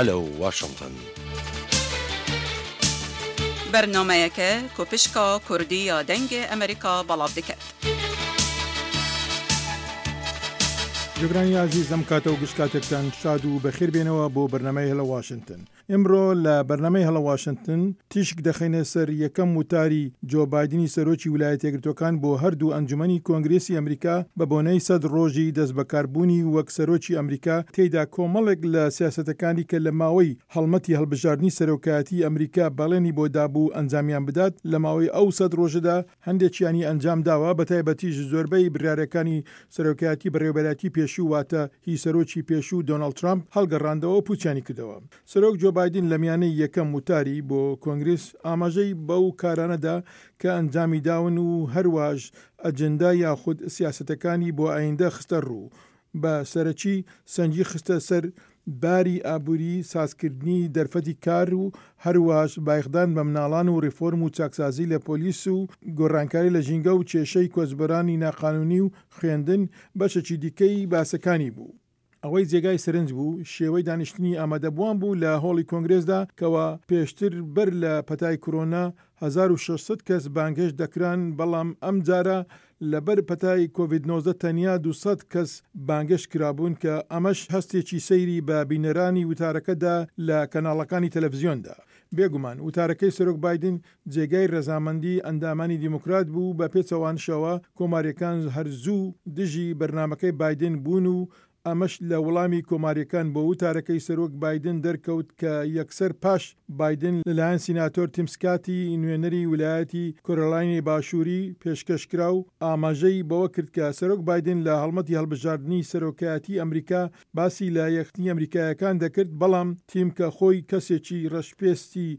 Hello Washington. Bernameyeke ku pişka Kurdî ya Dengê Amerîka belav diket. جوگرانی ئازیز ئەم کاتە و گشت کاتێکتان شاد و بەخێر بێنەوە بۆ بەرنامەی هەلە واشنتن. ئمڕۆ لە بەرنامەی هەڵە واشنتن تیشک دەخەینە سەر یەکەم وتاری جۆ بایدنی سەرۆکی ولایەتیەکگرتوەکان بۆ هەردوو ئەنجومەنی کۆنگرێسی ئەمریکا بە بۆنەی سەد ڕۆژی دەستبەکاربوونی وەک سەرۆکی ئەمریکا تێیدا کۆمەڵێک لە سیاسەتەکانی کە لە ماوەی هەڵمەتی هەڵبژاردنی سەرۆکایەتی ئەمریکا بەڵێنی بۆ دابوو ئەنجامیان بدات لە ماوەی ئەو سەد ڕۆژەدا هەندێکیانی ئەنجام داوە بەتایبەتیش زۆربەی بریارەکانی سەرۆکایەتی بەڕێوەبەرایەتی پێشوو واتە هی سەرۆکی پێشوو دۆناڵد ترامپ هەڵگەڕاندەوە و پوچیانی کردەوە. سەرۆک جۆ بایدن لە میانەی یەکەم وتاری بۆ کۆنگرس ئاماژەی بەو کارانە دا کە ئەنجامی داون و هەرواش ئەجندا یاخود سیاسەتەکانی بۆ ئایندە خستە ڕوو بە سەرەکی سەنگی خستە سەر باری ئابووری، سازکردنی دەرفەتی کار و هەروەهاش بایخدان بە مناڵان و ڕیفۆرم و چاکسازی لە پۆلیس و گۆڕانکاری لە ژینگە و کێشەی کۆچبەرانی ناقانوونی و خوێندن بەشێکی دیکەی باسەکانی بوو. ئەوەی جێگای سەرنج بوو شێوەی دانیشتنی ئامادەبووان بوو لە هۆڵی کۆنگرێسدا کەوا پێشتر بەر لە پەتای کۆرۆنا 1600 کەس بانگهێشت دەکران بەڵام ئەمجارە لەبەر پەتای کۆڤید 19 تەنیا 200 کەس بانگهێشت کرابوون کە ئەمەش هەستێکی سەیری بە بینەرانی وتارەکە دا لە کەناڵەکانی تەلەفزیۆندا. بێگومان وتارەکەی سەرۆک بایدن جێگای رەزامەندی ئەندامانی دیموکرات بوو، بە پێچەوانشەوە کۆمارییەکان هەر زوو دژی بەرنامەکەی بایدن بوون و ئەمەش لە وڵامی کۆمارییەکان بۆ وتارەکەی سەرۆک بایدن دەرکەوت کە یەکسەر پاش بایدن لەلایەن سیناتۆر تیم سکاتی نوێنەری ولایەتی کۆرۆلاینی باشووری پێشکەش کرا و ئاماژەی بەوە کرد کە سەرۆک بایدن لە هەڵمەتی هەڵبژاردنی سەرۆکایەتی ئەمریکا باسی لە یەکخستنی ئەمریکایەکان دەکرد، بەڵام تیم کە خۆی کەسێکی ڕەشپێستی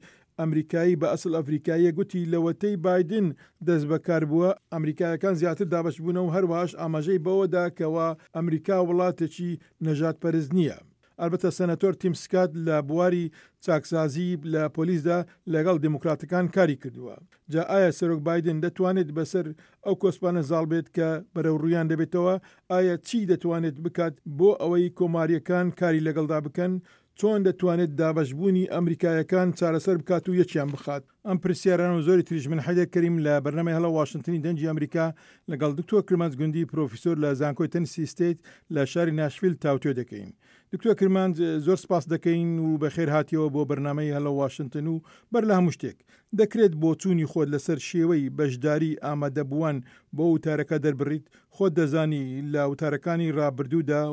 ئەمریکایی بە ئەسڵ ئەفریکاییە گوتی لەوەتەی بایدن دەستبەکار بووە، ئەمریکایەکان زیاتر دابەش بوونە و هەروەهاش ئاماژەی بەوە دا کەوا ئەمریکا وڵاتێکی نەژادپەرست نییە. ئەلبەتە سەنەتۆر تیم سکات لە بواری چاکسازی لە پۆلیسدا لەگەڵ دیموکراتەکان کاری کردووە. جا ئایا سەرۆک بایدن دەتوانێت بەسەر ئەو کۆسپانە زاڵ بێت کە بەرەوڕوویان دەبێتەوە؟ ئایا چی دەتوانێت بکات بۆ ئەوەی کۆمارییەکان کاری لەگەڵدا بکەن؟ چۆن دەتوانێت دابەشبوونی ئەمریکایەکان چارەسەر بکات و یەکیان بخات؟ ئەم پرسیارانە و زۆری تریش من حەیدەر کەریم لە بەرنامەی هەڵە واشنتنی دەنگی ئەمریکا لەگەڵ دکتۆر کرمانج گوندی پرۆفیسۆر لە زانکۆی تەنسی ستەیت لە شاری ناشفیل تاوتوێ دەکەین. دکتۆر کرمانج زۆر سپاست دەکەین و بەخێر هاتیەوە بۆ بەرنامەی هەلۆ واشنتن و بەر لە هەموو شتێک دەکرێت بۆچوونی خۆت لەسەر شێوەی بەشداری ئامادەبووان بۆ وتارەکە دەربڕیت؟ خۆت دەزانی لە وتارەکانی ڕابردوودا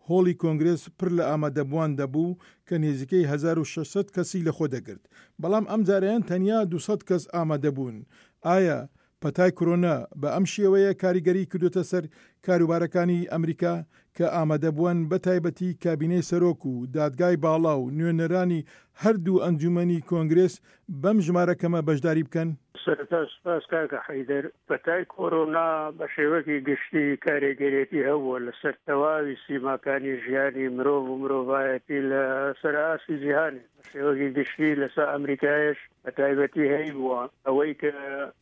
هۆڵی کۆنگرێس پڕ لە ئامادەبووان دەبوو کە نێزیکەی 1600 کەسی لەخۆ دەگرت، بەڵام ئەمجارەیان تەنیا 200 کەس ئامادەبوون. ئایا پەتای کرۆنا بە ئەم شێوەیە کاریگەریی کردۆتە سەر کاروبارەکانی ئەمریکا کە ئامادەبووان بە تایبەتی کابینەی سەرۆک و دادگای باڵا و نوێنەرانی هەردوو ئەنجوومەنی کۆنگرێس بەم ژمارە کەمە بەشداری بکەن؟ سەرەتا سوپاس کاکە حەیدەر. پەتای کۆرۆنا بە شێوەکی گشتی کارێگەرێتی هەبووە لەسەر تەواوی سیماکانی ژیانی مرۆڤ و مرۆڤایەتی لە سەر ئاستی جیهانێ بە شێوەکی گشتی لەسەر ئەمریکایش بە تایبەتی هەیبووە. ئەوەی کە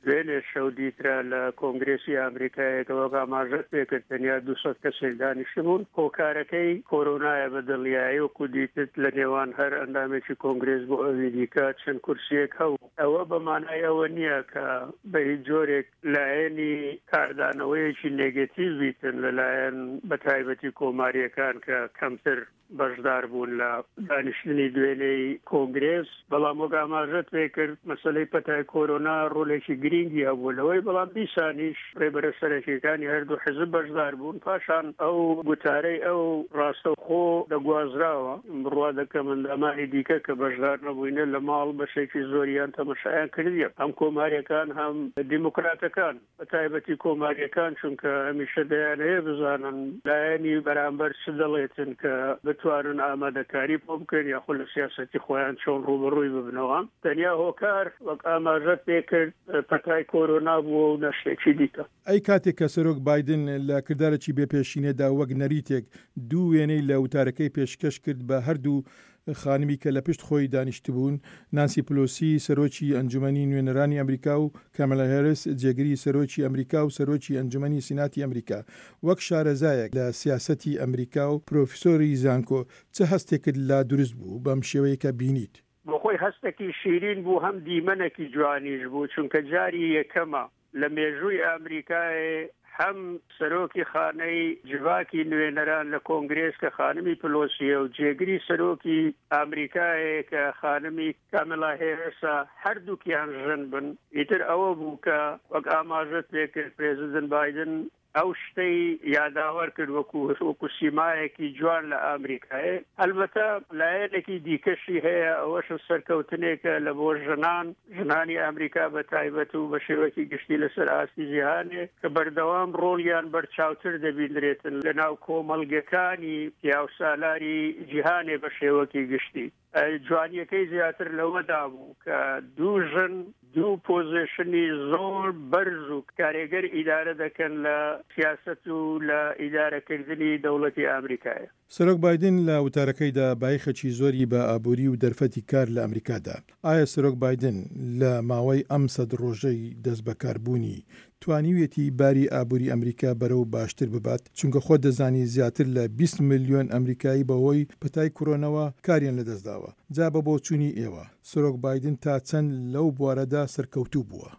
دوێنێ شەو دیترا لە کۆنگرێسی ئامریکایە کە وەک ئاماژەت پێکرد تەنیا 200 کەسێک دانیشتبوون، هۆکارەکەی کۆرۆنایە بە دڵنیایی وەکو دیتت لە نێوان هەر ئەندامێکی کۆنگرێس بۆ ئەوی دیکە چەند کورسییەک هەبوو. ئەوە بە مانای ئەوە نییە کە بە هیچ جۆرێک لایەنی کاردانەوەیەکی نێگەتیڤ بیتن لە لایەن بە تایبەتی کۆمارییەکان کە کەمتر بەشدار بوون لە دانیشتنی دوێنێی کۆنگرێس، بەڵام وەک ئاماژەت پێکرد مەسەلەی پەتای کۆرۆنا ڕۆلێکی گرینگی هەبوو لەوەی، بەڵام دیسانیش ڕێبەرە سەرەکیەکانی هەردوو حزب بەشدار بوون، پاشان ئەو گوتارەی ئەو ڕاستەوخۆ دەگوازراوە، بڕوا دەکەم ئەندامانی دیکە کە بەشدار نەبووینە لە ماڵ بەشێکی زۆریان تەمەشایان کردیە، هەم کۆماریەکان هەم دیموکراتەکان. بە تایبەتی کۆمارییەکان، چونکە هەمیشە دەیانەوێت بزانن لایەنی بەرامبەر چ دەڵێتن کە بتوانن ئامادەکاری بۆ بکەن یاخود لە سیاسەتی خۆیان چۆن ڕووبەڕووی ببنەوە. تەنیا هۆکار وەک ئاماژەت پێکرد پەتای کۆرۆنا بووە و نە شتێکی دیکە. ئەی کاتێک کە سەرۆک بایدن لە کردارێکی بێ پێشینەدا وەک نەریتێک دوو وێنەی لە وتارەکەی پێشکەش کرد بە هەردوو خانمی کە لە پشت خۆی دانیشتبوون، نانسی پلۆسی سەرۆکی ئەنجومەنی نوێنەرانی ئەمریکا و کامێلا هێرس جێگری سەرۆکی ئەمریکا و سەرۆکی ئەنجومەنی سیناتی ئەمریکا. وەک شارەزایەک لە سیاسەتی ئەمریکا و پرۆفیسۆری زانکۆ چ هەستێکت لا دروست بوو بەم شێوەی کە بینیت؟ بۆ خۆی هەستێکی شیرین بوو هەم دیمەنێکی جوانیش بوو چونکە جاری یەکەمە لە مێژووی ئامریکایێ هەم سەرۆکی خانەی جڤاکی نوێنەران لە کۆنگرێس کە خانمی پلۆسییە و جێگری سەرۆکی ئامریکایێ کە خانمی کامێلا هێرسە هەردووکیان ژن بن. ئیتر ئەوە بوو کە وەک ئاماژەت پێکرد پرێزیدنت بایدن ئەو شتەی یاداوەر کرد وەکو وەکو سیمایەکی جوان لە ئامریکایێ. هەلبەتە لایەنێکی دیکەشی هەیە ئەوەش سەرکەوتنێکە لە بۆ ژنان، ژنانی ئامریکا بە تایبەت و بە شێوەکی گشتی لەسەر ئاستی جیهانێ کە بەردەوام ڕۆڵیان بەرچاوتر دەبیندرێتن لە ناو کۆمەڵگەکانی پیاوسالاری جیهانێ بە شێوەکی گشتی. جوانیەکەی زیاتر لەوەدا بوو کە دوو ژن دوو پۆزیشنی زۆر بەرز و کارێگەر ئیدارە دەکەن لە سیاسەت و لە ئیدارەکردنی دەوڵەتی ئامریکایە. سەرۆک بایدن لە وتارەکەیدا بایخێکی زۆری بە ئابووری و دەرفەتی کار لە ئەمریکا دا. ئایا سەرۆک بایدن لە ماوەی ئەم سەد ڕۆژەی دەستبەکاربوونی توانیویەتی باری ئابووری ئەمریکا بەرەو باشتر ببات، چونکە خۆت دەزانی زیاتر لە 20 ملیۆن ئەمریکایی بەهۆی پەتای کورۆنەوە کاریان لەدەستداوە، جا بە بۆچوونی ئێوە سەرۆک بایدن تا چەند لەو بوارەدا سەرکەوتوو بووە؟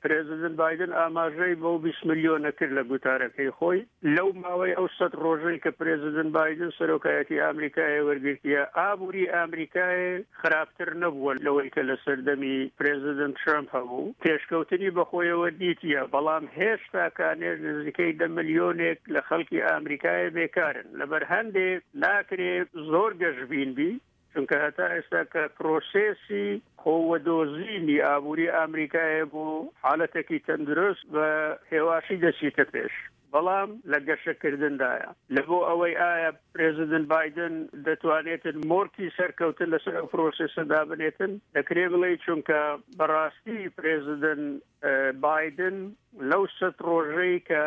پرێزیدنت بایدن ئاماژەی بەو 20 ملیۆنە کرد لە گوتارەکەی خۆی، لەو ماوەی ئەو سەد ڕۆژەی کە پرێزیدنت بایدن سەرۆکایەتی ئامریکای وەرگرتیە، ئابووری ئامریکای خراپتر نەبووە لەوەی کە لە سەردەمی پرێزیدنت ترەمپ هەبوو، پێشکەوتنی بەخۆیەوە دیتیە، بەڵام هێشتا کانێش نزیکەی دە ملیۆنێک لە خەڵکی ئامریکایە بێکارن، لەبەر هەندێ ناکرێ زۆر گەشبین بی، چونکە هەتا ئێستا کە پرۆسێسی خۆ وەدۆزینی ئابووری ئامریکایە بۆ حالەتێکی تەندروست بە هێواشی دەچیتە پێش. بەڵام لە گەشەکردندایە. لە بۆ ئەوەی ئایا پرێزیدنت بایدن دەتوانێتن مۆرکی سەرکەوتن لەسەر ئەو پرۆسێسە دابنێتن، دەکرێ بڵێی چونکە بەڕاستی پرێزیدنت بایدن لەو سەت ڕۆژەی کە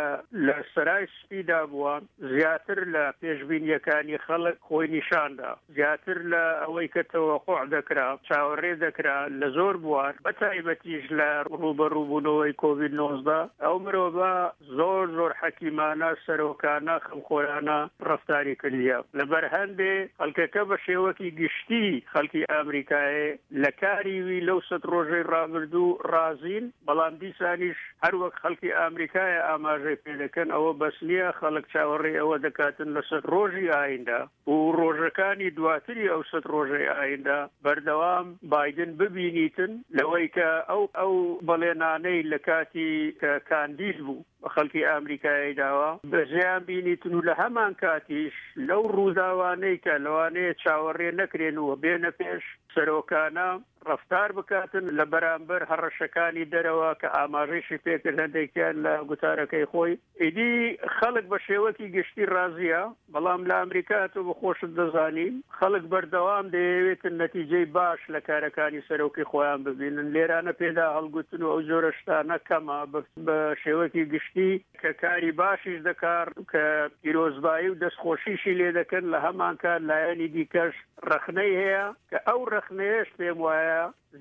لە سەرای سپیدا بووە زیاتر لە پێشبینییەکانی خەڵک خۆی نیشاندا. زیاتر لە ئەوەی کە تەوەقوع دەکرا، چاوەڕێ دەکرا لە زۆر بوار، بە تایبەتیش لە ڕووبەڕووبوونەوەی کۆڤید 19، ئەو مرۆڤە زۆر زۆر حەکیمانە، سەرۆکانە، خەمخۆرانە ڕەفتاری کردیە. لەبەر هەندێ خەڵکەکە بە شێوەکی گشتی خەڵکی ئامریکایێ لە کاری وی لەو سەت ڕۆژەی ڕابردوو ڕازین، بەڵام دیسانیش هەر وەک خەڵکی ئامریکایە ئاماژەی پێ دەکەن ئەوە بەس نییە، خەڵک چاوەڕێی ئەوە دەکاتن لە سەت ڕۆژی ئایندە و ڕۆژەکانی دواتری ئەو سەت ڕۆژەی ئایندە بەردەوام بایدن ببینیتن لەوەی کە ئەو ئەو بەڵێنانەی لە کاتی کە کاندید بوو بە خەڵکی ئامریکایەی داوە بەجێیان بینیتن و لە هەمان کاتیش لەو ڕووداوانەی کە لەوانەیە چاوەڕێ نەکرێن و بێنە پێش سەرۆکانە ڕەفتار بکاتن لە بەرامبەر هەڕەشەکانی دەرەوە کە ئاماژەیشی پێکرد هەندێکیان لە گوتارەکەی خۆی. ئیدی خەڵک بە شێوەکی گشتی ڕازییە، بەڵام لە ئەمریکا تۆ بە خۆشت دەزانی خەڵک بەردەوام دەیەوێتن نەتیجەی باش لە کارەکانی سەرۆکی خۆیان ببینن، لێرانە پێدا هەڵگوتن و ئەو جۆرە شتانە کەمە بە شێوەکی گشتی کە کاری باشیش دەکا کە پیرۆزبایی و دەستخۆشیشی لێ دەکەن، لە هەمانکات لایەنی دیکەش ڕەخنەی هەیە کە ئەو ڕەخنەیەش پێم وایە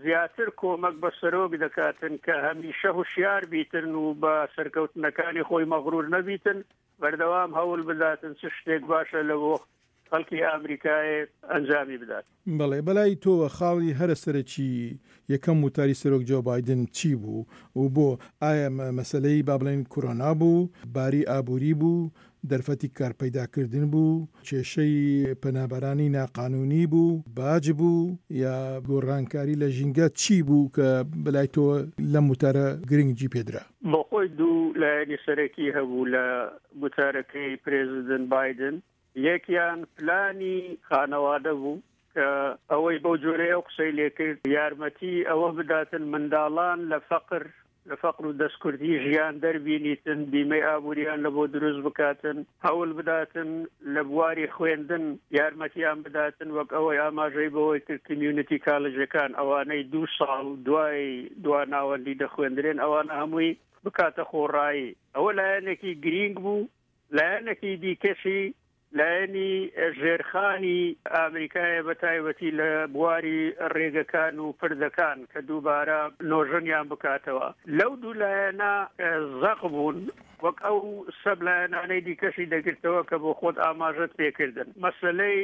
زیاتر کۆمەک بە سەرۆک دەکاتن کە هەمیشە هوشیار بیتن و بە سەرکەوتنەکانی خۆی مەغرور نەبیتن، بەردەوام هەول بداتن چ شتێک باشە لە بۆ خەڵکی ئامریکایێ ئەنجامی بدات. بەڵێ، بەلای تۆوە خاڵی هەرە سەرەکی یەکەم وتاری سەرۆک جۆ بایدن چی بوو و بۆ؟ ئایا مەسەلەی با بڵێین کورۆنا بوو، باری ئابووری بوو، دەرفەتی کارپەیداکردن بوو، کێشەی پەنابەرانی ناقانوونی بوو، باج بوو یا گۆڕانکاری لە ژینگە چی بوو کە بەلای تۆوە لەم وتارە گرنگی پێدرا؟ بۆخۆی دوو لایەنی سەرەکی هەبوو لە گوتارەکەی پرێزیدنت بایدن، یەکیان پلانی خانەوادە بوو کە ئەوەی بەو جۆرەی ئەو قسەی لێکرد یارمەتی ئەوە بداتن منداڵان لە فەقر لە فەقر و دەستکورتی ژیان دەربینیتن، بیمەی ئابووریان لە بۆ دروست بکاتن، هەول بداتن لە بواری خوێندن یارمەتیان بداتن وەک ئەوەی ئاماژەی بەوەی کرد کمیونیتی کالجەکان ئەوانەی دوو ساڵ دوای دوا ناوەندی دەخوێندرێن ئەوانە هەمووی بکاتە خۆڕایی. ئەوە لایەنێکی گرینگ بوو. لایەنێکی دیکەشی. لایەنی ژێرخانی ئامریکایە بە تایبەتی لە بواری ڕێگەکان و پردەکان کە دووبارە نۆژەنیان بکاتەوە. لەو دوو لایەنە زەق بوون وەک ئەو سەب لایەنانەی دیکەشی دەگرتەوە کە بۆ خۆت ئاماژەت پێکردن. مەسەلەی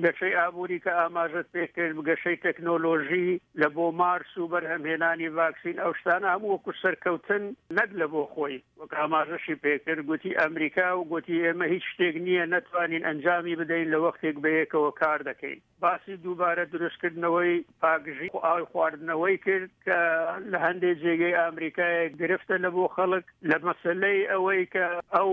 گەشەی ئابووری کە ئاماژەت پێکرد، گەشەی تەکنۆلۆژی لە بۆ مارس و بەرهەمهێنانی ڤاکسین، ئەو شتانە هەموو وەکو سەرکەوتن نەک لە بۆ خۆی، وەک ئاماژەشی پێکرد گوتی ئەمریکا و گوتی ئێمە هیچ شتێک نییە نەتوانین ئەنجامی بدەین لە وەختێک بەیەکەوە کار دەکەین. باسی دووبارە دروستکردنەوەی پاکژی ئاوی خواردنەوەی کرد کە لە هەندێک جێگەی ئامریکایە گرفتە لە بۆ خەڵک، لە مەسەلەی ئەوەی کە ئەو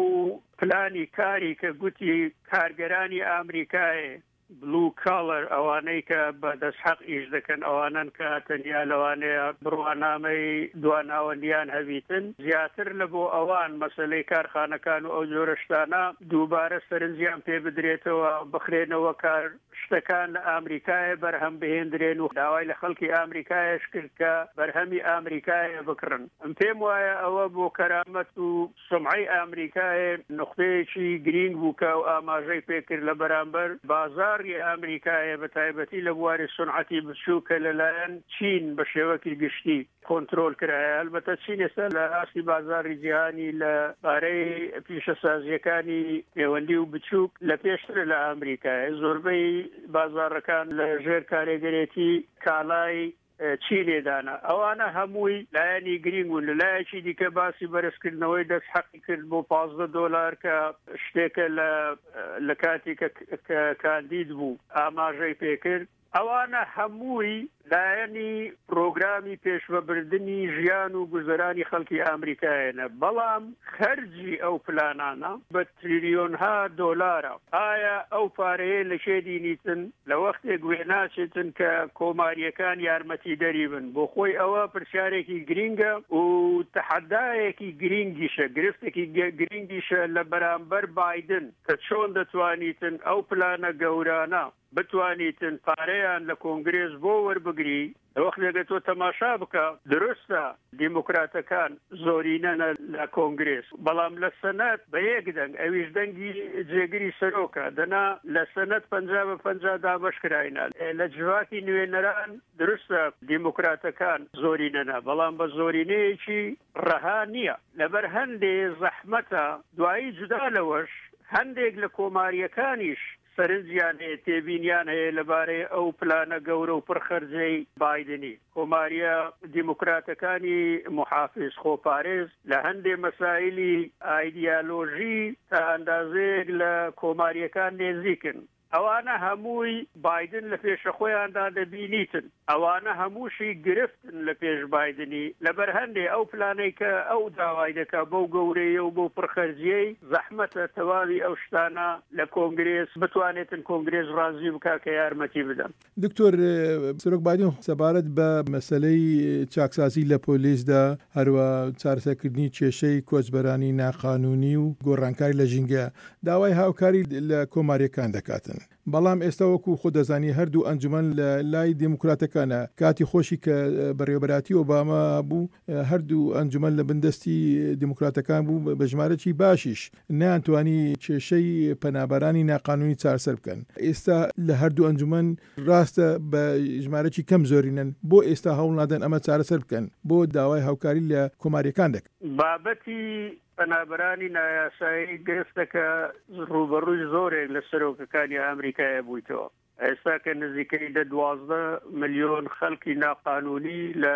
پلانی کاری کە گوتی کارگەرانی ئامریکایێ، Blue Collar، ئەوانەی کە بە دەستحەق ئیش دەکەن، ئەوانەن کە تەنیا لەوانەیە بڕوانامەی دواناوەندیان هەبیتن، زیاتر لە بۆ ئەوان مەسەلەی کارخانەکان و ئەو جۆرە شتانە دووبارە سەرنجیان پێ بدرێتەوە، بخرێنەوە کار. شتەکان لە ئامریکایە بەرهەم بهێندرێن و داوای لە خەڵکی ئامریکایەش کرد کە بەرهەمی ئامریکایە بکڕن. ئەم پێم وایە ئەوە بۆ کەرامەت و سومعەی ئامریکایە نوختەیەکی گرینگ بوو کە ئەو ئاماژەی پێ کرد لە بەرامبەر بازاڕی ئامریکایە بە تایبەتی لە بواری سونعەتی بچووک کە لە لایەن چین بە شێوەکی گشتی کۆنترۆل کرایە. ئەلبەتە چین ئێستا لە ئاستی بازاڕی جیهانی لە بارەی پیشەسازییەکانی نێوەندی و بچووک لە پێشترە لە ئامریکایە. زۆربەی بازاڕەکان لە ژێر کارێگەرێتی کالای چینێدانە. ئەوانە هەمووی لایەنی گرینگ بوون. لە لایەکی دیکە باسی بەرزکردنەوەی دەست حەقی کرد بۆ 15 دۆلار کە شتێکە لە لە کاتی کە کاندید بوو ئاماژەی پێکرد. ئەوانە هەمووی لایەنی پرۆگرامی پێشڤەبردنی ژیان و گوزەرانی خەڵکی ئامریکایەنە، بەڵام خەرجی ئەو پلانانە بە تریلیۆنها دۆلارە. ئایا ئەو پارەیە لە کێ دینیتن؟ لە وەختێک وێناچێتن کە کۆمارییەکان یارمەتیدەری بن؟ بۆ خۆی ئەوە پرسیارێکی گرینگە و تەحەدایەکی گرینگیشە، گرفتێکی گرینگیشە لە بەرامبەر بایدن کە چۆن دەتوانیتن ئەو پلانە گەورانە بتوانیتن پارەیان لە کۆنگرێس بۆ وەربگری، لە وەختێکە تۆ تەماشا بکە دروستە دیموکراتەکان زۆرینەنە لە کۆنگرێس، بەڵام لە سەنات بە یەک دەنگ ئەویش دەنگی جێگری سەرۆکە، دەنا لە سەنات 50 بە 50 دابەش کراینە. لە جڤاتی نوێنەران دروستە دیموکراتەکان زۆرینەنە، بەڵام بە زۆرینەیەکی ڕەها نییە، لەبەر هەندێ زەحمەتە، دوایی جودا لەوەش هەندێک لە کۆمارییەکانیش سەرنجیان هەیە، تێبینیان هەیە لەبارەی ئەو پلانە گەورە و پڕ خەرجەی بایدنی. کۆمارییە دیموکراتەکانی موحافیز، خۆپارێز، لە هەندێ مەسایلی ئایدیالۆژی تا ئەندازەیەک لە کۆمارییەکان نێزیکن. ئەوانە هەمووی بایدن لە پێشەخۆیاندا دەبینیتن. ئەوانە هەمووشی گرفتن لە پێش بایدنی، لەبەر هەندێ ئەو پلانەی کە ئەو داوای دەکا بەو گەورەیە و بەو پڕخەرجیەی زەحمەتە تەواوی ئەو شتانە لە کۆنگرێس بتوانێتن کۆنگرێس ڕازی بکا کە یارمەتی بدەن. دکتۆر، سەرۆک بایدن سەبارەت بە مەسەلەی چاکسازی لە پۆلیسدا، هەروا چارەسەرکردنی کێشەی کۆچبەرانی ناقانوونی و گۆڕانکاری لە ژینگە، داوای هاوکاری لە کۆمارییەکان دەکاتن. بەڵام ئێستا وەکو خۆت دەزانی هەردوو ئەنجومەن لە لای دێموکراتەکانە، کاتی خۆشی کە بەڕێوەبەرایەتی ئۆباما بوو هەردوو ئەنجومەن لە بن دەستی دێموکراتەکان بوو بە ژمارەکی باشیش نەیانتوانی کێشەی پەنابەرانی ناقانوونی چارەسەر بکەن. ئێستا لە هەردوو ئەنجومەن ڕاستە بە ژمارەکی کەم زۆرینەن، بۆ ئێستا هەوڵ نادەن ئەمە چارەسەر بکەن؟ بۆ داوای هاوکاری لە کۆمارییەکان دەکەن؟ بابەتی پەنابەرانی نایاسایی گرفتەکە ڕووبەڕووی زۆرێک لە سەرۆکەکانی ئامریکایە بوویتەوە. ئێستا کە نزیکەی دە 12 ملیۆن خەڵکی ناقانونی لە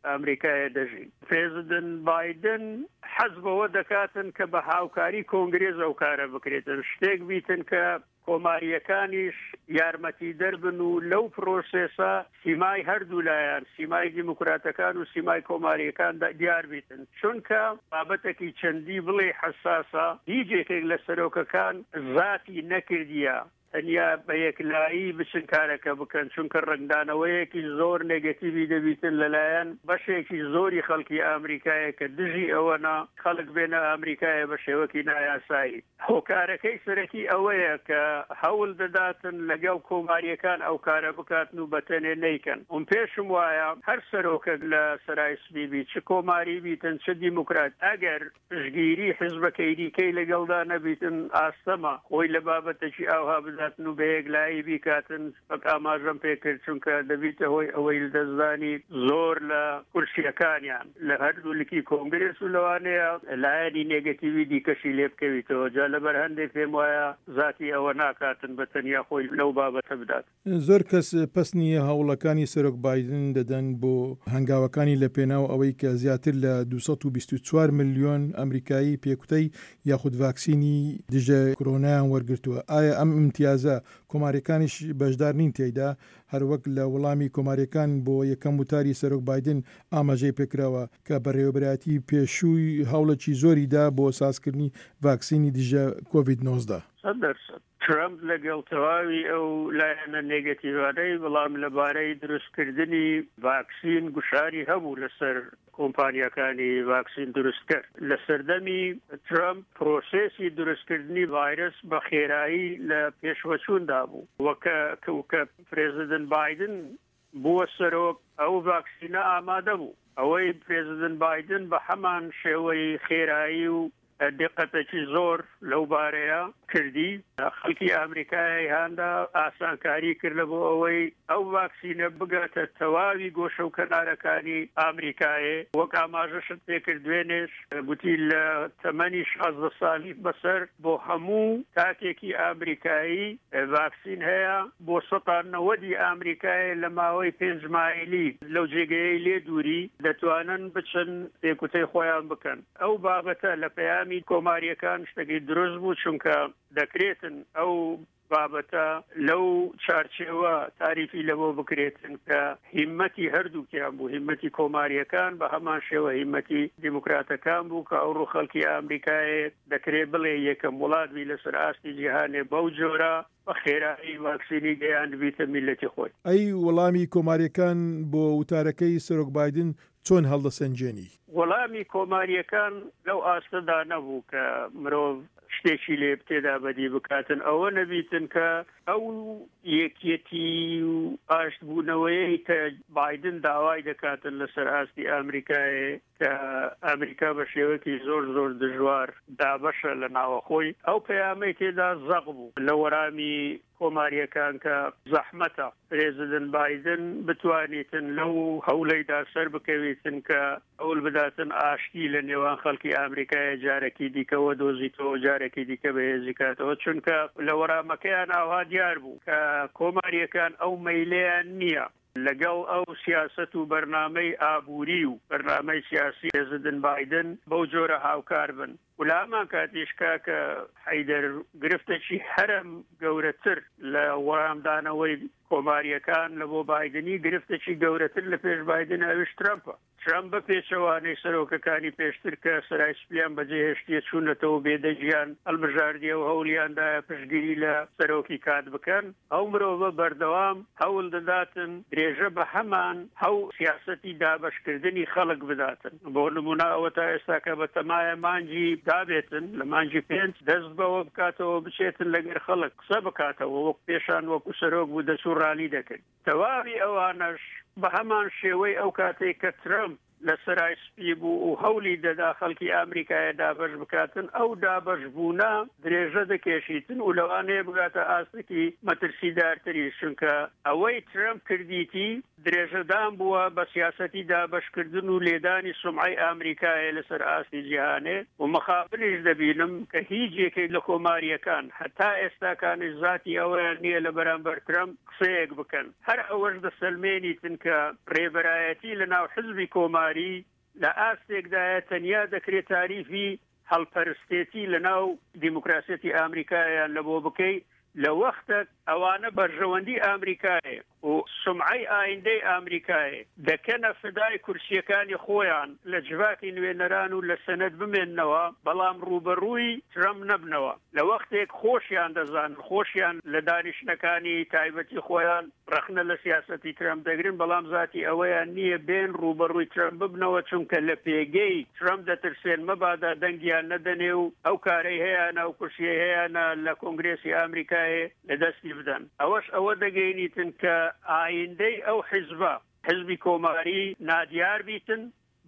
ئەمریکایە دەژین. پرێزیدنت بایدن حەز بەوە دەکاتن کە بە هاوکاری کۆنگرێس ئەو کارە بکرێتن، شتێک بیتن کە کۆمارییەکانیش یارمەتیدەر بن و لەو پرۆسێسە سیمای هەردوو لایان، سیمای دیموکراتەکان و سیمای کۆمارییەکان دیار بیتن، چونکە بابەتەکی چەندی بڵێی حەساسە، هیچ یەکێک لە سەرۆکەکان زاتی نەکردیە. تەنیا بە یەکلایی بچن کارەکە بکەن، چونکە ڕەنگدانەوەیەکی زۆر نێگەتیڤی دەبیتن لەلایەن بەشێکی زۆری خەڵکی ئامریکایە کە دژی ئەوەنە خەڵک بێنە ئامریکایە بە شێوەکی نایاسایی. هۆکارەکەی سەرەکی ئەوەیە کە هەول دەداتن لەگەڵ کۆمارییەکان ئەو کارە بکاتن و بەتەنێ نەیکەن. من پێشم وایە هەر سەرۆکەک لە سەرای سپی بی چ کۆماری بیتن چ دیموکرات ئەگەر پشتگیری حیزبەکەی دیکەی لەگەڵدا نەبیتن ئاستەمە خۆی لە بابەتەکی ئاوها بداتن و بەیەکلایی بیکاتن وەک ئاماژەم پێکرد چونکە دەبیتە هۆی ئەوەی لەدەستدانی زۆر لە کورسیەکانیان لە هەردوو لکی کۆنگرێس و لەوانەیە لایەنی نێگەتیوی دیکەشی لێ بکەویتەوە جا لەبەر هەندێک پێم وایە زاتی ئەوە ناکاتن بە تەنیا خۆی لەو بابەتە بدات. زۆر کەس پەسنی هەوڵەکانی سەرۆک بایدن دەدەن بۆ هەنگاوەکانی لە پێناو ئەوەی کە زیاتر لە 224 ملیۆن ئەمریکایی پێکوتەی یاخود ڤاکسینی دژە کرۆنایان وەرگرتووە. ئایا ئەم ئیمتیازە کۆمارییەکانیش بەشدار نین تیایدا؟ هەروەک لە وەڵامی کۆمارییەکان بۆ یەکەم وتاری سەرۆک بایدن ئاماژەی پێکراوە کە بەڕێوەبەرایەتی پێشووی هەوڵێکی زۆری دا بۆ سازکردنی ڤاکسینی دژە کۆڤید 19. 100%. ترەمپ لەگەڵ تەواوی ئەو لایەنە نێگەتیڤانەی، بەڵام لەبارەی دروستکردنی ڤاکسین گوشاری هەبوو لەسەر کۆمپانیاکانی ڤاکسین دروستکەر. لە سەردەمی ترەمپ پرۆسێسی دروستکردنی ڤایرەس بە خێرایی لە پێشوەچووندا بوو و کە کە پرێزیدنت بایدن بووە سەرۆک ئەو ڤاکسینە ئامادە بوو. ئەوەی پرێزیدنت بایدن بە هەمان شێوەی خێرایی و دیقەتێکی زۆر لەو بارەیە کردی، خەڵکی ئامریکای هاندا، ئاسانکاری کرد لە بۆ ئەوەی ئەو ڤاکسینە بگاتە تەواوی گۆشە و کەنارەکانی ئامریکایێ. وەک ئاماژەشت پێکرد دوێنێش گوتی لە تەمەنی 16 سالی بەسەر بۆ هەموو تاکێکی ئامریکایی ڤاکسین هەیە، بۆ سەتا نەوەدی ئامریکایێ لە ماوەی پێنج مایلی لەو جێگەیەی لێ دووری دەتوانن بچن پێکوتەی خۆیان بکەن. ئەو بابەتە لە پەیامی کۆمارییەکان شتەکی دروست بوو، چونکە دەکرێتن ئەو بابەتە لەو چارچێوە تاریفی لەبۆ بکرێتن کە هیمەتی هەردووکیان بوو، هیمەتی کۆمارییەکان بە هەمان شێوە هیمەتی دیموکراتەکان بوو کە ئەوڕۆ خەڵکی ئامریکایێ دەکرێ بڵێ یەکەم وڵات بی لەسەر ئاستی جیهانێ بەو جۆرە بە خێرایی ڤاکسینی گەیاندبیتە میللەتی خۆی. ئەی وەڵامی کۆمارییەکان بۆ وتارەکەی سەرۆک بایدن چۆن هەڵدەسەنگێنی؟ وەڵامی کۆمارییەکان لەو ئاستەدا نەبوو کە مرۆڤ شتێکی لێ تێدا بەدی بکاتن، ئەوە نەبیتن کە ئەو یەکیەتی و ئاشتبوونەوەیەی کە بایدن داوای دەکاتن لەسەر ئاستی ئامریکایێ کە ئامریکا بە شێوەیەکی زۆر زۆر دژوار دابەشە لە ناوەخۆی، ئەو پەیامەی تێدا زەق بوو لە وەرامی کۆمارییەکان کە زەحمەتە پرێزیدنت بایدن بتوانیتن لەو هەولەیدا سەر بکەویتن کە هەول بداتن ئاشتی لە نێوان خەڵکی ئامریکایە جارەکی دیکە وەدۆزیتەوە و جارەکی دیکە بەهێزی کاتەوە چونکە لە وەرامەکەیان ئاوها دیار بوو کە کۆمارییەکان ئەو مەیلەیان نییە لەگەڵ ئەو سیاسەت و بەرنامەی ئابووری و بەرنامەی سیاسی پرێزیدنت بایدن بەو جۆرە هاوکار بن و لە هەمان کاتیش کاکە حەیدەر گرفتێکی هەرە گەورەتر لە وەڵامدانەوەی کۆمارییەکان لە بۆ بایدنی گرفتێکی گەورەتر لە پێش بایدن ئەویش ترەمپە. ترەمپ بە پێچەوانەی سەرۆکەکانی پێشتر کە سەرای سپیان بەجێهێشتیە چوونەتەوە بێدەنگیان هەڵبژاردیە و هەوڵیان دایە پشتگیری لە سەرۆکی کات بکەن، ئەو مرۆڤە بەردەوام هەول دەداتن درێژە بە هەمان ئەو سیاسەتی دابەشکردنی خەڵک بداتن. بۆ نموونە ئەوەتا ئێستاکە بە تەمایە مانگی دابێتن لە مانگی پێنج دەست بەوە بکاتەوە بچێتن لەگەر خەڵک قسە بکاتەوە وەک پێشان وەکو سەرۆک بوو دەچوو ڕالی دەکرد. تەواوی ئەوانەش بە هەمان شێوەی ئەو کاتەی کە ترەمپ لە سەرای سپی بوو و هەولی دەدا خەڵکی ئامریکایە دابەش بکاتن، ئەو دابەش بوونە درێژە دەکێشیتن و لەوانەیە بگاتە ئاستێکی مەترسیدارتریش، چونکە ئەوەی ترەمپ کردیتی درێژەدان بووە بە سیاسەتی دابەشکردن و لێدانی سومعەی ئامریکایە لەسەر ئاستی جیهانێ و مەخابنیش دەبینم کە هیچ یەکێک لە کۆمارییەکان هەتا ئێستاکانیش زاتی ئەوەیان نییە لە بەرامبەر ترەمپ قسەیەک بکەن، هەر ئەوەش دەسەلمێنیتن کە رێبەرایەتی لە ناو حزبی کۆماری لە ئاستێکدایە تەنیا دەکرێ تاریفی هەڵپەرستێتی لە ناو دیموکراسیەتی ئامریکایان لە بۆ بکەی. لە وەختەک ئەوانە بەرژەوەندی ئامریکایێ و سومعەی ئایندەی ئامریکایێ دەکەنە فدای کورسییەکانی خۆیان لە جڤاتی نوێنەران و لە سەنەت بمێننەوە بەڵام ڕووبەڕووی ترەمپ نەبنەوە لە وەختێک خۆشیان دەزانن خۆشیان لە دانیشتنەکانی تایبەتی خۆیان ڕەخنە لە سیاسەتی ترەمپ دەگرن، بەڵام زاتی ئەوەیان نییە بێن ڕووبەڕووی ترەمپ ببنەوە، چونکە لە پێگەی ترەمپ دەترسێن مەبادا دەنگیان نەدەنێ و ئەو کارەی هەیانە، ئەو کورسیەی هەیانە لە کۆنگرێسی ئامریکایێ لە دەستی بدەن. ئەوەش ئەوە دەگەینیتن کە ئایندەی ئەو حیزبە، حیزبی کۆماری، نادیار بیتن،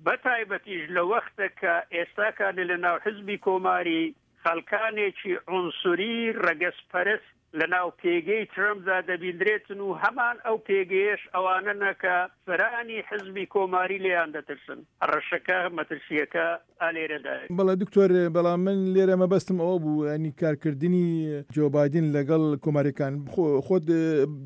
بە تایبەتیش لە وەختە کە ئێستاکانێ لە ناو حیزبی کۆماری خەڵکانێکی عونسوری رەگەزپەرست لە ناو پێگەی ترەمپدا دەبیندرێتن و هەمان ئەو پێگەیەش ئەوانەنە کە سەرانی حیزبی کۆماری لێیان دەترسن. هەڕەشەکە، مەترسییەکە ئا لێرەدایە. بەڵێ دکتۆر، بەڵام من لێرە مەبەستم ئەوە بوو یانی کارکردنی جۆ بایدن لەگەڵ کۆماریەکان، خۆت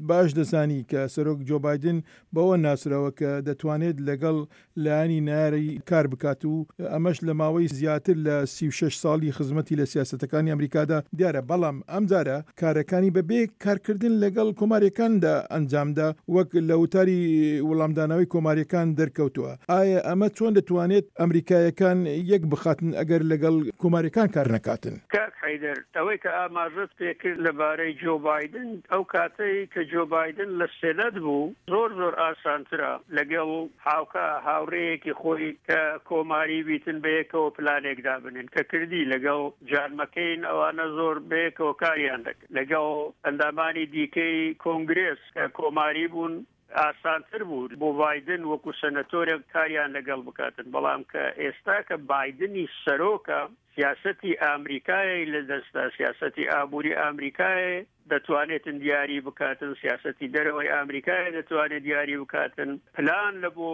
باش دەزانی کە سەرۆک جۆ بایدن بەوە ناسراوە کە دەتوانێت لەگەڵ لایەنی نەیاری کار بکات و ئەمەش لە ماوەی زیاتر لە 36 ساڵی خزمەتی لە سیاسەتەکانی ئەمریکادا دیارە، بەڵام ئەمجارە کارەکانی بە بێ کارکردن لەگەڵ کۆمارییەکاندا ئەنجامدا وەک لە وتاری وڵامدانەوەی کۆمارییەکان دەرکەوتووە. ئایا ئەمە چۆن دەتوانێت ئەمریکایەکان یەک بخاتن ئەگەر لەگەڵ کۆمارییەکان کار نەکاتن؟ کاک حەیدەر، ئەوەی کە ئاماژەت پێکرد لەبارەی جۆ بایدن، ئەو کاتەی کە جۆ بایدن لە سێنەت بوو زۆر زۆر ئاسانترە لەگەڵ هاوکا هاوڕێیەکی خۆی کە کۆماری بیتن بەیەکەوە پلانێک دابنێن کە کردی لەگەڵ جان مەکەین ئەوانە زۆر بەیەکەوە کاریان دەکرد لەگەڵ ئەندامانی دیکەی کۆنگرێس کە کۆماری بوون ئاسانتر بوو بۆ بایدن وەکو سەنەتۆرێک کاریان لەگەڵ بکاتن بەڵام کە ئێستا کە بایدنی سەرۆکە سیاسەتی ئامریکایەی لە دەستە سیاسەتی ئابووری ئامریکایە دەتوانێتن دیاری بکاتن سیاسەتی دەرەوەی ئامریکایە دەتوانێت دیاری بکاتن پلان لە بۆ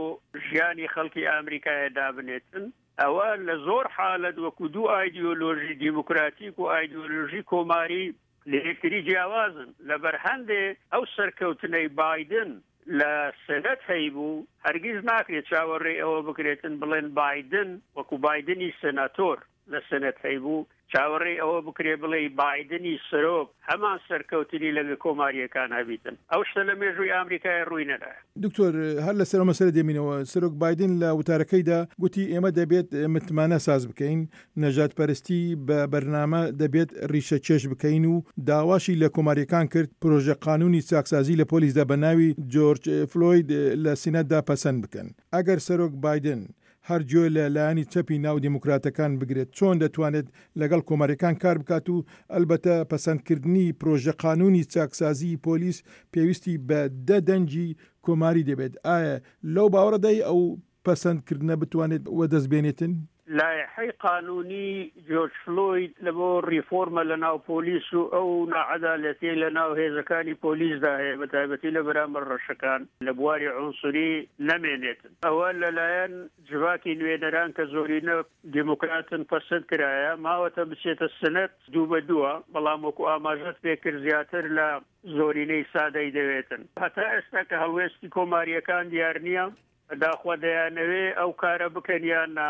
ژیانی خەڵکی ئامریکایە دابنێتن ئەوە لە زۆر حالت وەکو دوو ئایدیۆلۆژی دیموکراتیک و ئایدیۆلۆژی کۆماری لە یەکتری جیاوازن، لەبەر هەندێ ئەو سەرکەوتنەی بایدن لە سێنەت هەیبوو هەرگیز ناکرێت چاوەڕێی ئەوە بکرێتن بڵێن بایدن وەکو بایدنی سێناتۆر لە سێنەت هەیبوو چاوەڕێی ئەوە بکرێ بڵێی بایدنی سەرۆک هەمان سەرکەوتنی لەگە کۆمارییەکان هەبیتن. ئەو شتە لە مێژووی ئامریکای ڕووی نەدایە. دکتۆر هەر لەسەر ئەو مەسەلە دێمینەوە، سەرۆک بایدن لە وتارەکەیدا گوتی ئێمە دەبێت متمانە ساز بکەین، نەژادپەرستی بە بەرنامە دەبێت ڕیشەکێش بکەین و داواشی لە کۆمارییەکان کرد پرۆژە قانوونی چاکسازی لە پۆلیسدا بە ناوی جۆرج فلۆید لە سیناتدا پەسەند بکەن. ئەگەر سەرۆک بایدن هەر گوێ لە لایەنی چەپی ناو دێموکراتەکان بگرێت چۆن دەتوانێت لەگەڵ کۆمارییەکان کار بکات و ئەلبەتە پەسەندکردنی پرۆژە قانوونی چاکسازیی پۆلیس پێویستی بە دە دەنگی کۆماری دەبێت ئایا لەو باوەڕەدای ئەو پەسەند کردنە بتوانێت وەدەست بێنێتن؟ لایحەی قانوونی جۆرج فلۆید لە بۆ ڕیفۆرمە لە ناو پۆلیس و ئەو ناعەدالەتیەی لە ناو هێزەکانی پۆلیسدا هەیە بە تایبەتی لە بەرامبەر ڕەشەکان لە بواری عونسوری نەمێنێتن ئەوە لە لایەن جڤاتی نوێنەران کە زۆرینە دیموکراتن پەسند کرایە ماوەتە بچێتە سنەت دوو بە دووە بەڵام وەکو ئاماژەت پێکرد زیاتر لە زۆرینەی سادەی دەوێتن هەتا ئێستا کە هەڵوێستی کۆمارییەکان دیار نییە داخوا دەیانەوێ ئەو کارە بکەن یان نا.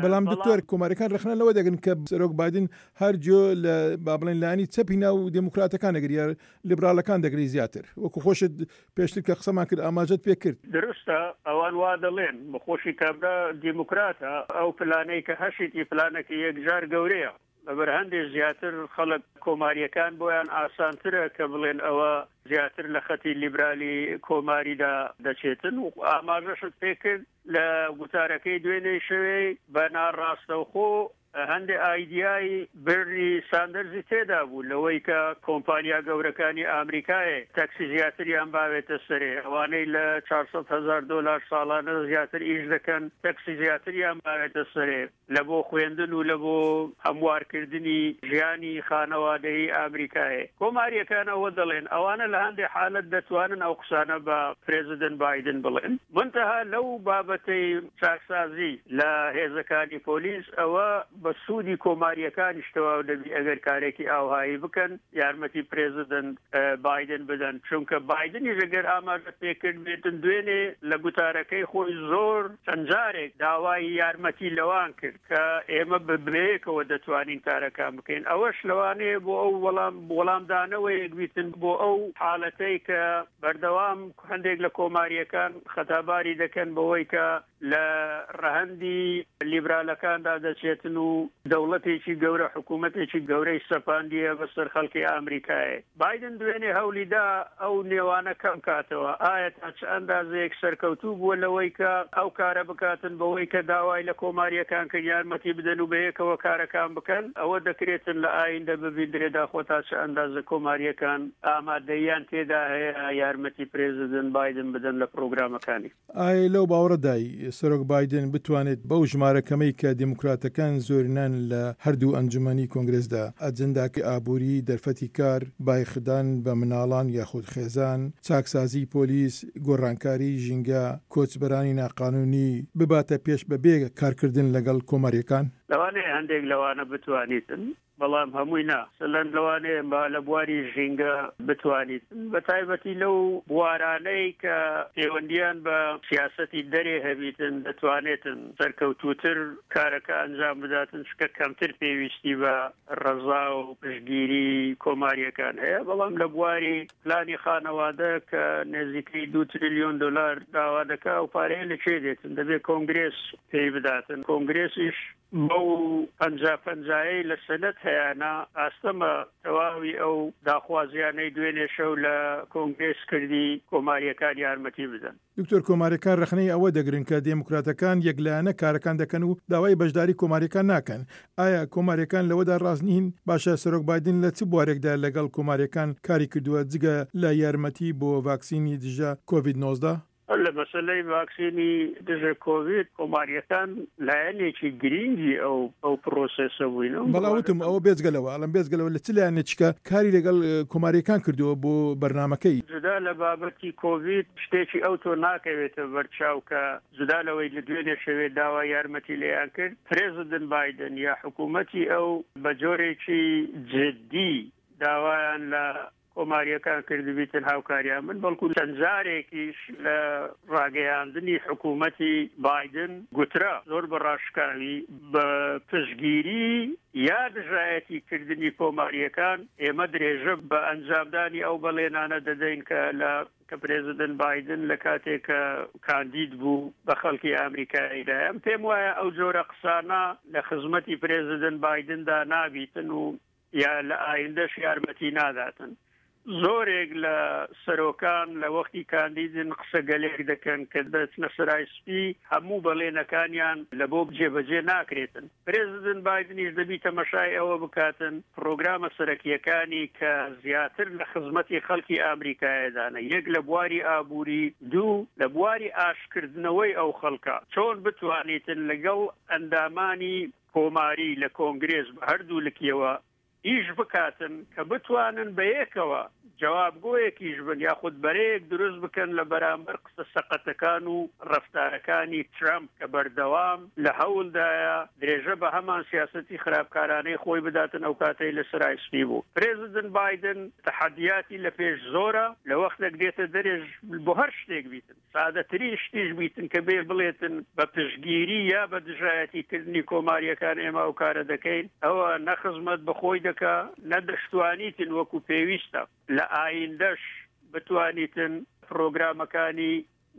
بەڵام دکتۆر کۆماریەکان رەخنە لەوە دەگرن کە سەرۆک بایدن هەر گوێ لە با بڵێن لایەنی چەپی ناو دێموکراتەکان دەگری یا لیبراڵەکان دەگری زیاتر وەکو خۆشت پێشتر کە قسەمان کرد ئاماژەت پێ کرد. دروستە ئەوان وا دەڵێن بەخۆشی کابرا دیموکراتە ئەو پلانەی کە هەشیتی پلانەکی یەکجار گەورەیە. لەبەر هەندێ زیاتر خەڵک کۆمارییەکان بۆیان ئاسانترە کە بڵێن ئەوە زیاتر لە خەتی لیبرالی کۆماریدا دەچێتن و ئاماژەشت پێکرد لە گوتارەکەی دوێنێ شەوێ بە ناڕاستەوخۆ هەندێ ئایدیای بێرنی ساندەرزی تێدا بوو لەوەی کە کۆمپانیا گەورەکانی ئامریکایێ تەکسی زیاتریان باوێتە سەرێ ئەوانەی لە 400 هەزار دۆلار ساڵانە زیاتر ئیش دەکەن تەکسی زیاتریان باوێتە سەرێ. لە بۆ خوێندن و لە بۆ هەموارکردنی ژیانی خانەوادەیی ئامریکایێ. کۆمارییەکان ئەوە دەڵێن. ئەوانە لە هەندێ حالەت دەتوانن ئەو قسانە بە پرێزیدنت بایدن بڵێن. مونتەها لەو بابەتەی چاکسازی لە هێزەکانی پۆلیس ئەوە. بە سوودی کۆمارییەکانیش تەواو دەبی ئەگەر کارێکی ئاوهایی بکەن یارمەتی پرێزیدنت بایدن بدەن، چونکە بایدنیش ئەگەر ئاماژەت پێ کرد بێتن دوێنێ لە گوتارەکەی خۆی زۆر چەند جارێک داوای یارمەتی لەوان کرد کە ئێمە بەیەکەوە دەتوانین کارەکان بکەین، ئەوەش لەوانەیە بۆ ئەو وەڵام وەڵامدانەوەیەک بیتن بۆ ئەو حاڵەتەی کە بەردەوام هەندێک لە کۆمارییەکان خەتاباری دەکەن بەوەی کە لە ڕەهەندی لیبرالەکاندا دەچێتن و دەوڵەتێکی گەورە، حکوومەتێکی گەورەی سەپاندیە بەسەر خەڵکی ئامریکایێ. بایدن دوێنێ هەوڵی دا ئەو نێوانە کەم کاتەوە. ئایا تا چ ئەندازەیەک سەرکەوتوو بووە لەوەی کە ئەو کارە بکاتن بەوەی کە داوای لە کۆمارییەکان کرد یارمەتی بدەن و بەیەکەوە کارەکان بکەن؟ ئەوە دەکرێتن لە ئایندە ببیندرێ داخۆ تا چ ئەندازە کۆمارییەکان ئامادەییان تێدا هەیە یارمەتی پرێزیدنت بایدن بدەن لە پرۆگرامەکانی. ئایا لەو باوەڕەدای سەرۆک بایدن بتوانێت بەو ژمارە کەمەی کە دێموکراتەکان زۆرینەن لە هەردوو ئەنجومەنی کۆنگرێسدا، ئەجنداکەی ئابووری، دەرفەتی کار، بایخدان بە مناڵان یاخود خێزان، چاکسازیی پۆلیس، گۆڕانکاریی ژینگە، کۆچبەرانی ناقانوونی، بباتە پێش بەبێ کارکردن لەگەڵ کۆمارییەکان؟ لەوانەیە هەندێک لەوانە بتوانیتن بەڵام هەمووی نا. مەسەلەن لەوانەیە با لە بواری ژینگە بتوانیت، بە تایبەتی لەو بوارانەی کە پەیوەندییان بە سیاسەتی دەرێ هەبیتن، دەتوانێتن سەرکەوتووتر کارەکە ئەنجام بداتن، چونکە کەمتر پێویستی بە ڕەزا و پشتگیری کۆمارییەکان هەیە. بەڵام لە بواری پلانی خانەوادە کە نزیکەی دوو تریلیۆن دۆلار داوا دەکا، ئەو پارەیە لە کوێ دێتن؟ دەبێ کۆنگرێس پێی بداتن. کۆنگرێسیش بەو پەنجا پەنجایەی لە سەنەت هەیانە، ئاستەمە تەواوی ئەو داخوازیانەی دوێنێ شەو لە کۆنگرێس کردی، کۆمارییەکان یارمەتی بدەن. دکتۆر، کۆمارییەکان رەخنەی ئەوە دەگرن کە دێموکراتەکان یەکلایەنە کارەکان دەکەن و داوای بەشداری کۆمارییەکان ناکەن. ئایا کۆمارییەکان لەوەدا راست نین؟ باشە سەرۆک بایدن لە چ بوارێکدا لەگەڵ کۆمارییەکان کاری کردووە جگە لە یارمەتی بۆ ڤاکسینی دژە کۆڤید 19؟ لە مەسەلەی ڤاکسینی دژە کۆڤید کۆمارییەکان لایەنێکی گرینگی ئەو ئەو پرۆسێسە بووین. بەڵا وتم ئەوە بێجگە لەوە ئەڵێم بێجگە لەوە لە چ لایەنێکیکە کاری لەگەڵ کۆمارییەکان کردووە بۆ بەرنامەکەی؟ جودا لە بابەتی کۆڤید شتێکی ئەوتۆ ناکەوێتە بەرچاو کە جودا لەوەی لە دوێنێ شەوێ داوای یارمەتی لێیان کرد پرێزیدنت بایدن یا حکوومەتی ئەو بە جۆرێکی جدی داوایان لە کۆمارییەکان کردبیتن هاوکاریان بن، بەڵکو چەند جارێکیش لە ڕاگەیاندنی حکوومەتی بایدن گوترا زۆر بە ڕاشکاوی بە پشتگیری یا دژایەتی کردنی کۆمارییەکان ئێمە درێژە بە ئەنجامدانی ئەو بەڵێنانە دەدەین کە لە کە پرێزیدنت بایدن لە کاتێک کە کاندید بوو بە خەڵکی ئامریکایی دای. ئەم پێم وایە ئەو جۆرە قسانە لە خزمەتی پرێزیدنت بایدندا نابیتن و یا لە ئایندەش یارمەتی ناداتن. زۆرێک لە سەرۆکان لە وەختی کاندیدن قسە گەلێک دەکەن کە دەچنە سەرای سپی هەموو بەڵێنەکانیان لە بۆ جێبەجێ ناکرێتن. پرێزیدنت بایدنیش دەبی تەمەشای ئەوە بکاتن پڕۆگرامە سەرەکییەکانی کە زیاتر لە خزمەتی خەڵکی ئامریکایەدانە یەک لە بواری ئابووری دوو لە بواری ئاشتکردنەوەی ئەو خەڵکە چۆن بتوانیتن لەگەڵ ئەندامانی کۆماری لە کۆنگرێس بە هەردوو لکیەوە ئیش بکاتن کە بتوانن بەیەکەوە جوابگۆیەکیش بن یاخود بەرەیەک دروست بکەن لە بەرامبەر قسە سەقەتەکان و ڕەفتارەکانی ترەمپ کە بەردەوام لە هەوڵدایە درێژە بە هەمان سیاسەتی خراپکارانەی خۆی بداتن ئەو کاتەی لە سەرای سپی بوو. پرێزیدنت بایدن تەحەدیاتی لە پێش زۆرە لە وەختێک دێتە دەرێش بۆ هەر شتێک بیتن. سادەترین شتیش بیتن کە بێ بڵێتن بە پشتگیری یا بە دژایەتی کردنی کۆمارییەکان ئێمە ئەو کارە دەکەین، ئەوە نە خزمەت بە خۆی دەکا، نە دەشتوانیتن وەکو پێویستە لە ئایندەش بتوانیتن پرۆگرامەکانی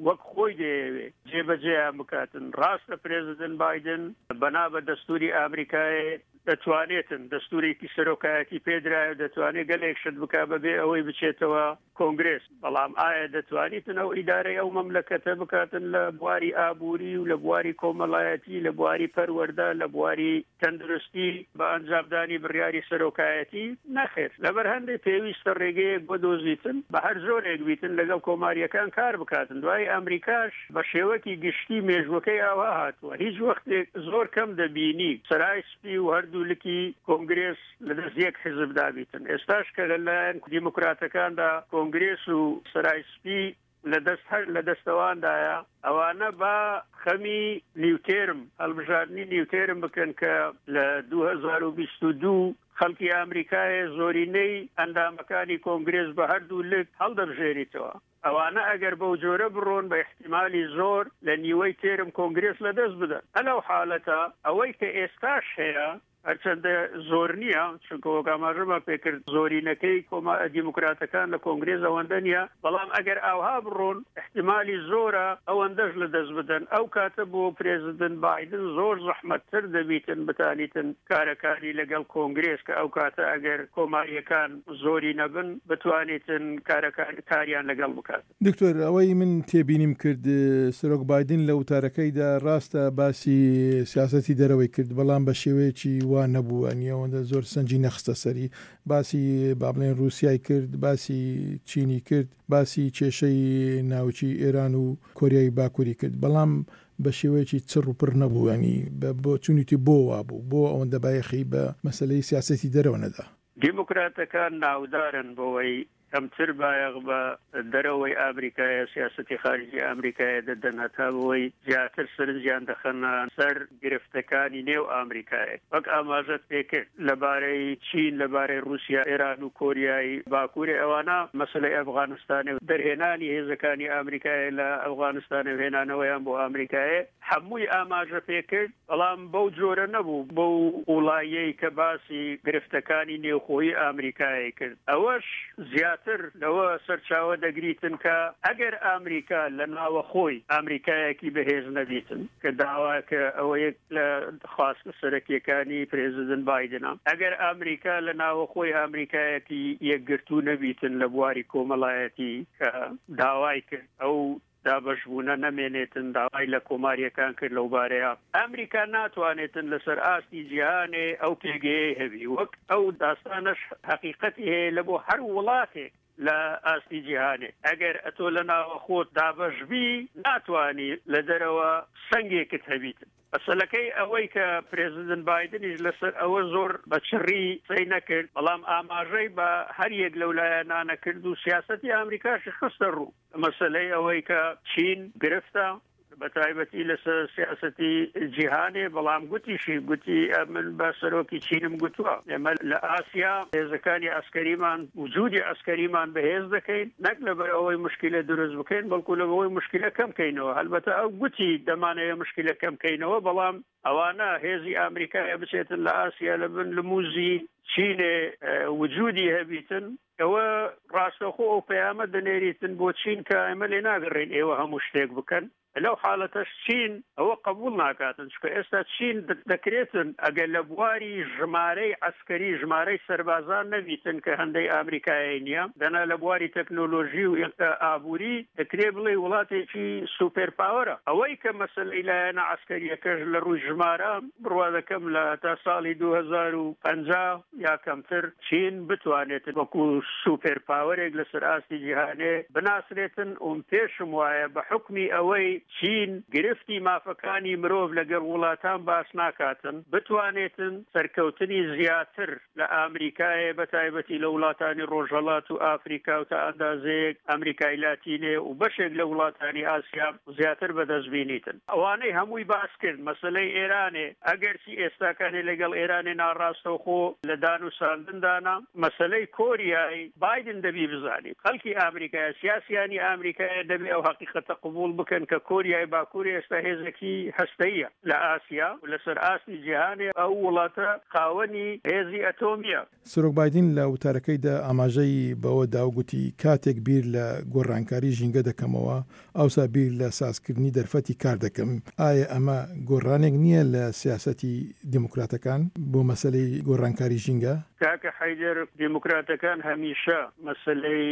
وەک خۆی دەیەوێ جێبەجێیان بکاتن. ڕاستە پرێزیدنت بایدن بەنا بە دەستووری ئامریکایێ دەتوانێتن، دەستوورێکی سەرۆکایەتی پێدرایە و دەتوانێ گەلێک شت بکا بەبێ ئەوەی بچێتەوە کۆنگرێس، بەڵام ئایا دەتوانیتن ئەو ئیدارەی ئەو مەملەکەتە بکاتن لە بواری ئابووری و لە بواری کۆمەڵایەتی، لە بواری پەروەردە، لە بواری تەندروستی بە ئەنجامدانی بڕیاری سەرۆکایەتی؟ نەخێر. لەبەر هەندێ پێویستە ڕێگەیەک بۆدۆزیتن بە هەر جۆرێک بیتن لەگەڵ کۆمارییەکان کار بکاتن. دوایی ئەمریکاش بە شێوەکی گشتی مێژووەکەی ئاوا هاتووە. هیچ وەختێک زۆر کەم دەبینی سەرای سپی و هەردوو لکی کۆنگرێس لە دەست یەک حیزبدا بیتن. ئێستاش کە لە لایەن دیموکراتەکاندا کۆنگرێس و سەرای سپی. لە دەست هەر لە دەستەواندایە، ئەوانە با خەمی نیوتێرم، هەڵبژاردنی نیوتێرم بکەن کە لە 2022 خەڵکی ئامریکایە زۆرینەی ئەندامەکانی کۆنگرێس بە هەردوو لک هەڵدەبژێریتەوە. ئەوانە ئەگەر بەو جۆرە بڕۆن بە ئیحتیمالی زۆر لە نیوەی تێرم کۆنگرێس لە دەست بدەن. ئەلەو حالەتە ئەوەی کە ئێستاش هەیە هەرچەندە زۆر نییە چونکە وەک ئاماژەمان پێکرد زۆرینەکەی کۆما دیموکراتەکان لە کۆنگرێس ئەوەندە نییە، بەڵام ئەگەر ئاوها بڕۆن ئیحتیمالی زۆرە ئەوەندەش لە دەست بدەن. ئەو کاتە بۆ پرێزیدنت بایدن زۆر زەحمەتتر دەبیتن بتانیتن کارەکانی لەگەڵ کۆنگرێس کە ئەو کاتە ئەگەر کۆمارییەکان زۆری نەبن بتوانیتن کارەکان کاریان لەگەڵ بکات. دکتۆر ئەوەی من تێبینیم کرد سەرۆک بایدن لە وتارەکەیدا ڕاستە باسی سیاسەتی دەرەوەی کرد بەڵام بە شێوەیەکی وا نەبوو ئەنی ئەوەندە زۆر سەنجی نەخستە سەری باسی با بڵێن ڕووسیای کرد باسی چینی کرد باسی کێشەی ناوکی ئێران و کۆریای باکووری کرد بەڵام بە شێوەیەکی چڕ و پڕ نەبوو ینی بە بۆچوونیتی بۆ وابوو بۆ ئەوەندە بایەخی بە مەسەلەی سیاسەتی دەرەوە نەدا؟ دیموکراتەکان ناودارن بەوەی کەمتر بایەخ بە دەرەوەی ئامریکایە، سیاسەتی خارجی ئامریکایە دەدەن هەتا بەوەی زیاتر سەرنجیان دەخەنە سەر گرفتەکانی نێو ئامریکایە. وەک ئاماژەت پێکرد لە بارەی چین، لە بارەی ڕووسیا، ئێران و کۆریای باکوورێ ئەوانە مەسەلەی ئەفغانستانێ و دەرهێنانی هێزەکانی ئامریکایە لە ئەفغانستانێ و هێنانەوەیان بۆ ئامریکایێ هەمووی ئاماژە پێکرد. بەڵام بەو جۆرە نەبوو، بەو قووڵاییەی کە باسی گرفتەکانی نێوخۆیی ئامریکای کرد. ئەوەش زیاتر لەوە سەرچاوە دەگریتن کە ئەگەر ئامریکا لە ناوەخۆی ئامریکایەکی بەهێز نەبیتن کە داوا کە ئەوە یەک لە خواستە سەرەکییەکانی پرێزیدنت بایدنە، ئەگەر ئامریکا لە ناوەخۆی ئامریکایەکی یەکگرتوو نەبیتن لە بواری کۆمەڵایەتی کە داوای کرد ئەو دابەشبوونە نەمێنێتن، داوای لە کۆمارییەکان کرد لەوبارەیە ئەمریکا ناتوانێتن لەسەر ئاستی جیهانێ ئەو پێگەیەی هەبی، وەک ئەو داستانەش هەقیقەتی هەیە لە بۆ هەر وڵاتێک لە ئاستی جیهانێ ئەگەر ئەتۆ لە ناوەخۆت دابەشبی ناتوانی لە دەرەوە سەنگێکت هەبیتن. مەسەلەکەی ئەوەی کە پرێزیدنت بایدنیش لەسەر ئەوە زۆر بە چڕی قسەی نەکرد، بەڵام ئاماژەی بە هەر یەک لەو لایەنانە کرد و سیاسەتی ئامریکاشی خستە ڕوو. مەسەلەی ئەوەی کە چین گرفتە بە تایبەتی لەسەر سیاسەتی جیهانێ، بەڵام گوتیشی، گوتی ئەمن بە سەرۆکی چینم گوتووە ئێمە لە ئاسیا هێزەکانی عەسکەریمان، وجودی عەسکەریمان بەهێز دەکەین، نەک لەبەر ئەوەی مشکلە دروست بکەین، بەڵکو لەبەر ئەوەی مشکلە کەم کەینەوە. هەلبەتە ئەو گوتی دەمانەوێ مشکلە کەم کەینەوە، بەڵام ئەوانە هێزی ئامریکایە بچێتن لە ئاسیا لە بن لموزی چینێ وجودی هەبیتن، ئەوە ڕاستەوخۆ ئەو پەیامە دەنێریتن بۆ چین کە ئێمە لێ ناگەڕێین ئێوە هەموو شتێک بکەن. لەو حاڵەتەش چین ئەوە قبوڵ ناکاتن، چونکە ئێستا چین دەکرێتن ئەگەر لە بواری ژمارەی عەسکەری ژمارەی سەربازان نەبیتن کە هەندەی ئامریکایەی نییە، دەنا لە بواری تەکنۆلۆژی و ئابووری دەکرێ بڵێی وڵاتێکی سوپێر پاوەرە. ئەوەی کە مەسەلەی لایەنە عەسکەرییەکەش لە ڕووی ژمارە بڕوا دەکەم لە تا ساڵی 2050 یا کەمتر چین بتوانێت وەکو سوپێر پاوەرێک لەسەر ئاستی جیهانێ بناسرێتن و پێشم وایە بە حوکمی ئەوەی چین گرفتی مافەکانی مرۆڤ لەگەڵ وڵاتان باس ناکاتن بتوانێتن سەرکەوتنی زیاتر لە ئامریکایێ بە تایبەتی لە وڵاتانی ڕۆژهەڵات و ئافریکا و تا ئەندازەیەک ئەمریکای لاتینێ و بەشێک لە وڵاتانی ئاسیا زیاتر بەدەست بینیتن. ئەوانەی هەمووی باس کرد مەسەلەی ئێرانێ ئەگەرچی ئێستاکانێ لەگەڵ ئێرانێ ناڕاستەوخۆ لە دانوساندندانە، مەسەلەی کۆریای بایدن دەبی بزانی خەڵکی ئامریکایە سیاسیانی ئامریکایە دەبێ ئەو هەقیقەتە قبوڵ بکەن کە کۆریای باکوور ئێستا هێزێکی هەستەییە لە ئاسیا و لەسەر ئاستی جیهانێ ئەو وڵاتە خاوەنی هێزی ئەتۆمییە. سەرۆک بایدن لە وتارەکەیدا ئاماژەی بەوە دا و گوتی، کاتێک بیر لە گۆڕانکاری ژینگە دەکەمەوە، ئەوسا بیر لە سازکردنی دەرفەتی کار دەکەم. ئایا ئەمە گۆڕانێک نییە لە سیاسەتی دیموکراتەکان بۆ مەسەلەی گۆڕانکاری ژینگە؟ کاکە حەیدەر، دیموکراتەکان هەمیشە مەسەلەی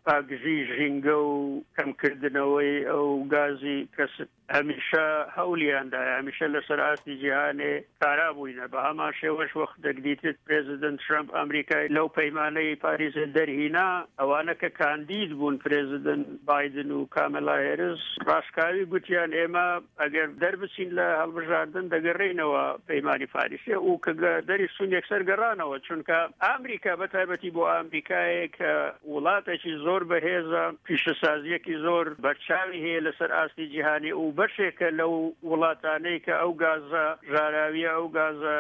پاکژی ژینگە و کەمکردنەوەی ئەو گازی کەس، هەمیشە هەولیان دایە، هەمیشە لەسەر ئاستی جیهانێ کارا بووینە، بە هەمان شێوەش وەختێک دیتت پرێزیدنت ترەمپ ئەمریکای لەو پەیمانەی پاریسێ دەرهینا، ئەوانە کە کاندید بوون پرێزیدنت بایدن و کامێلا هێرس ڕاشکاوی گوتیان ئێمە ئەگەر دەربچین لە هەڵبژاردن دەگەڕێینەوە پەیمانی پاریسێ و کە دەریشچوون یەکسەر گەڕانەوە چونکە. چونکە ئامریکا بە تایبەتی بۆ ئامریکایە کە وڵاتێکی زۆر بەهێزە، پیشەسازییەکی زۆر بەرچاوی هەیە لەسەر ئاستی جیهانی و بەشێکە لەو وڵاتانەی کە ئەو گازە ژاراویە، ئەو گازە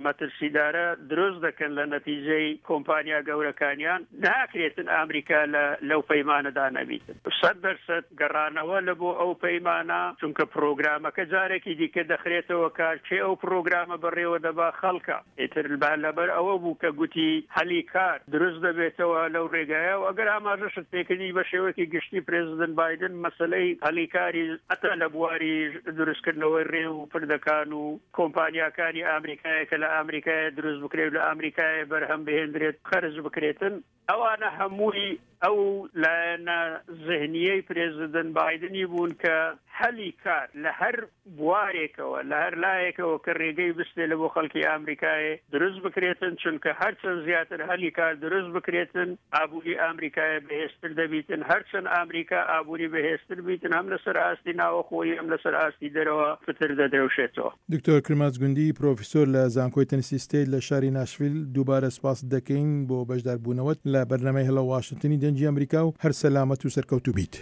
مەترسیدارە دروست دەکەن لە نەتیجەی کۆمپانیا گەورەکانیان، ناکرێتن ئامریکا لە لەو پەیمانەدا نەبیتن. 100% گەڕانەوە لە بۆ ئەو پەیمانە، چونکە پرۆگرامەکە جارێکی دیکە دەخرێتەوە کار، کێ ئەو پرۆگرامە بەڕێوە دەبا؟ خەڵکە. ئیتر با لەبەر ئەوە بوو کە گوتی هەلی کار دروست دەبێتەوە لەو رێگایە و ئەگەر ئاماژەشت پێکردی بە شێوەیەکی گشتی پرێزیدنت بایدن مەسەلەی هەلی کاری هەتا لە بواری دروستکردنەوەی رێ و پردەکان و کۆمپانیاکانی ئامریکایە کە لە ئامریکایە دروست بکرێت و لە ئامریکایە بەرهەم بهێندرێت خەرج بکرێتن ئەوانە هەمووی ئەو لایەنە زهنیەی پرێزیدنت بایدنی بوون کە هەلی کار لە هەر بوارێکەوە لە هەر لایەکەوە کە رێگەی بستێ لە بۆ خەڵکی ئامریکایێ دروست بکرێتن چونکە هەرچەند زیاتر هەلی کار دروست بکرێتن ئابووری ئامریکایە بەهێزتر دەبیتن هەرچەند ئامریکا ئابووری بەهێزتر بیتن هەم لەسەر ئاستی ناوەخۆیی هەم لەسەر ئاستی دەرەوە پتر دەدرەوشێتەوە. دکتۆر کرماج گوندی، پرۆفیسۆر لە زانکۆی تنسی ستەیت لە شاری ناشڤیل، دووبارە سپاست دەکەین بۆ بەشداربوونەوەت لە بەرنامەی هەلۆ واشنتنی دەنگی ئەمریکا و هەر سەلامەت و سەرکەوتوو بیت.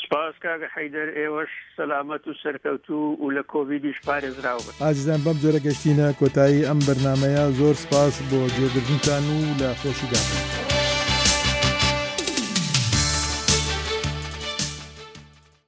سپاس کاک حەیدەر، ئێوەش سەلامەت و سەرکەوتوو و لە کۆڤیدیش پارێزراو بن. ئازیزان بەم جۆرە گەشتینە کۆتایی ئەم بەرنامەیە، زۆر سپاس بۆ گوێگرتنتان و لە خۆشیدا بن.